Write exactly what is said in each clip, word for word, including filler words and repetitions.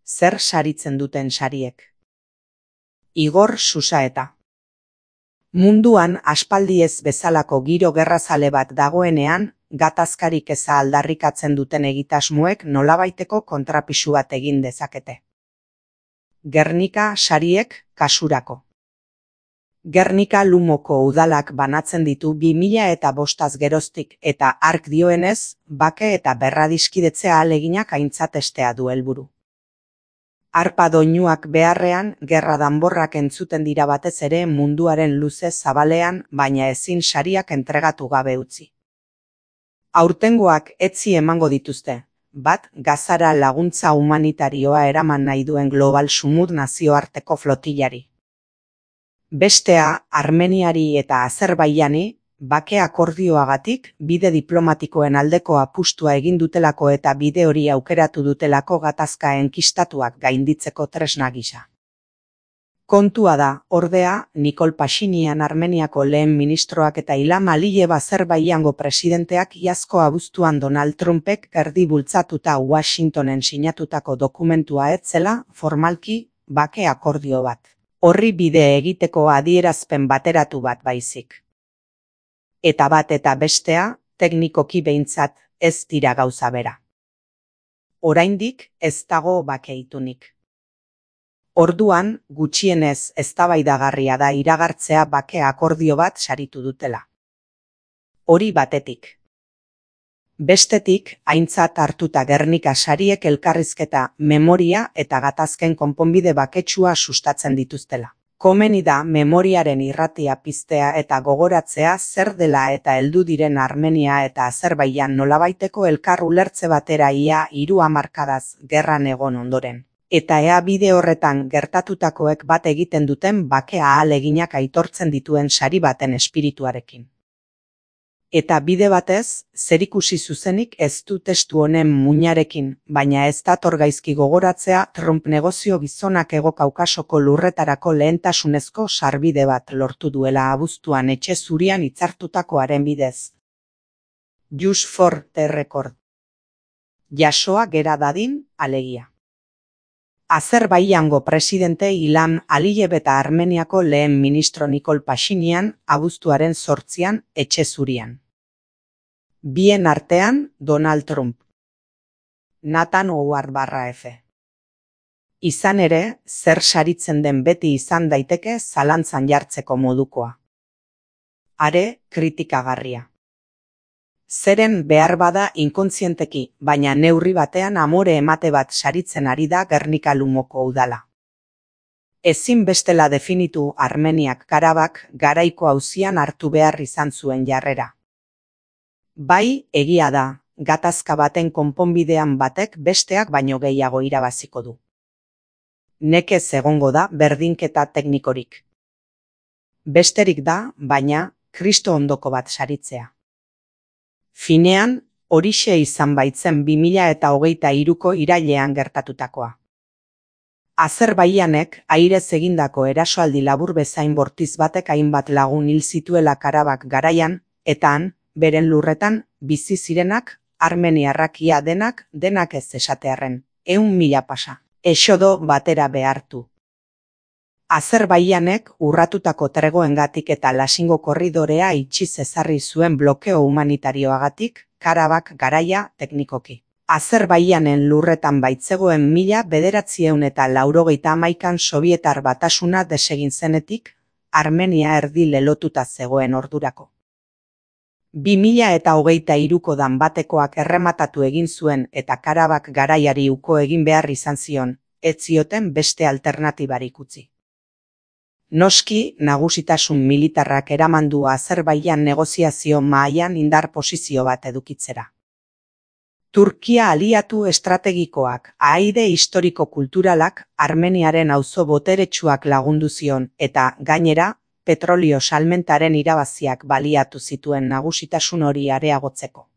Zer saritzen duten sariek? Igor Susaeta. Munduan aspaldiez bezalako giro gerrazale bat dagoenean, gatazkarik eza aldarrikatzen duten egitasmoek nolabaiteko kontrapisu bat egin dezakete. Gernika sariek kasurako. Gernika Lumoko udalak banatzen ditu bi mila eta bostaz geroztik eta hark dioenez, bake eta berradiskidetzea ahaleginak aintzat estea du helburu. Arpa doinuak beharrean, gerra danborrak entzuten dira batez ere munduaren luze zabalean, baina ezin sariak entregatu gabe utzi. Aurtengoak etzi emango dituzte, bat Gazara laguntza humanitarioa eraman nahi duen Global Sumud nazioarteko flotillari. Bestea, Armeniari eta Azerbaiani, bake akordioagatik, bide diplomatikoen aldeko apustua egin dutelako eta bide hori aukeratu dutelako gatazka enkistatuak gainditzeko tresna gisa. Kontua da, ordea, Nikol Pashinyan Armeniako lehen ministroak eta Ilham Aliyev Azerbaijango presidenteak iazko abuztuan Donald Trumpek erdi bultzatuta Washingtonen sinatutako dokumentua ez zela, formalki, bake akordio bat. Horri bide egiteko adierazpen bateratu bat baizik. Eta bat eta bestea, teknikoki behintzat, ez dira gauza bera. Oraindik ez dago bakeitunik. Orduan, gutxienez eztabaidagarria da iragartzea bake akordio bat saritu dutela. Hori batetik. Bestetik, aintzat hartuta Gernika sariek elkarrizketa, memoria eta gatazken konponbide baketsua sustatzen dituztela. Komeni da memoriaren irratia piztea eta gogoratzea zer dela eta heldu diren Armenia eta Azerbaijan nolabaiteko elkar ulertze batera ia hiru hamarkadaz gerran egon ondoren. Eta ea bide horretan gertatutakoek bat egiten duten bake ahaleginak aitortzen dituen sari baten espirituarekin. Eta bide batez, zerikusi zuzenik ez du testu honen muinarekin, baina ez dator gaizki gogoratzea Trump negozio gizonak Hego Kaukasoko lurretarako lehentasunezko sarbide bat lortu duela abuztuan etxe zurian hitzartutakoaren bidez. Just for the record. Jasoa gera dadin, alegia. Azerbaijango presidente Ilham Aliyev eta Armeniako lehen ministro Nikol Pashinyan abuztuaren zortzian etxe zurian. Bien artean, Donald Trump. Nathan Howard barra F. Izan ere, zer saritzen den beti izan daiteke zalantzan jartzeko modukoa. Are, kritikagarria. Zeren behar bada inkontzienteki, baina neurri batean amore emate bat saritzen ari da Gernika Lumoko udala. Ezin bestela definitu Armeniak Karabak garaiko auzian hartu behar izan zuen jarrera. Bai, egia da, gatazka baten konponbidean batek besteak baino gehiago irabaziko du. Nekez egongo da berdinketa teknikorik. Besterik da, baina, Kristo ondoko bat saritzea. Finean, horixe izan baitzen bi mila eta hogeita hiruko irailean gertatutakoa. Azerbaijanek airez egindako erasoaldi labur bezain bortiz batek hainbat lagun hil zituela Karabak garaian, eta han, beren lurretan, bizi zirenak, armeniarrak ia denak, denak ez esatearren, ehun mila pasa, esodo batera behartu. Azerbaijanek urratutako tregoengatik eta Lasingo korridorea itxiz ezarri zuen blokeo humanitarioagatik, Karabak garaia teknikoki. Azerbaijanen lurretan baitzegoen mila bederatzieun eta laurogeita hamaikan Sobietar batasuna desegin zenetik, Armenia erdi lelotuta zegoen ordurako. bi mila eta hogeita hiruko danbatekoak errematatu egin zuen eta Karabak garaiari uko egin behar izan zion, ez zioten beste alternatibarik utzi. Noski, nagusitasun militarrak eramandu Azerbaijan negoziazio mahaian indar posizio bat edukitzera. Turkia aliatu estrategikoak, ahaide historiko-kulturalak, Armeniaren auzo boteretsuak lagundu zion eta, gainera, petrolio salmentaren irabaziak baliatu zituen nagusitasun hori areagotzeko.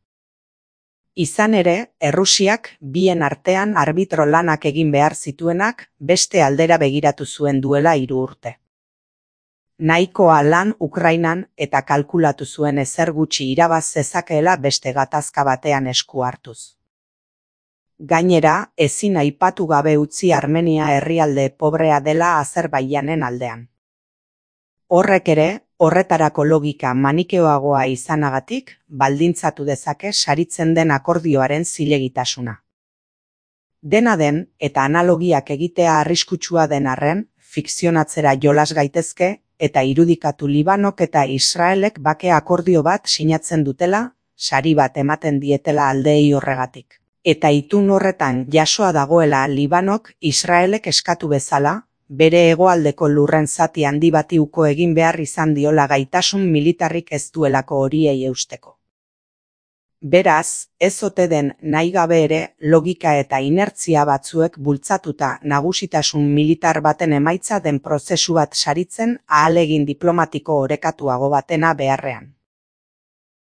Izan ere, Errusiak bien artean arbitro lanak egin behar zituenak beste aldera begiratu zuen duela hiru urte. Nahikoa lan Ukrainan eta kalkulatu zuen ezer gutxi irabaz zezakeela beste gatazka batean esku hartuz. Gainera, ezin aipatu gabe utzi Armenia herrialde pobrea dela Azerbaijanen aldean. Horrek ere, horretarako logika manikeoagoa izanagatik, baldintzatu dezake saritzen den akordioaren zilegitasuna. Dena den, eta analogiak egitea arriskutsua den arren, fikzionatzera jolas gaitezke, eta irudikatu Libanok eta Israelek bake akordio bat sinatzen dutela, sari bat ematen dietela aldeei horregatik. Eta itun horretan jasoa dagoela Libanok Israelek eskatu bezala, bere hegoaldeko lurren zati handi bati uko egin behar izan diola gaitasun militarrik ez duelako horiei eusteko. Beraz, ez ote den nahi gabe ere logika eta inertzia batzuek bultzatuta nagusitasun militar baten emaitza den prozesu bat saritzen ahalegin diplomatiko orekatuago batena beharrean.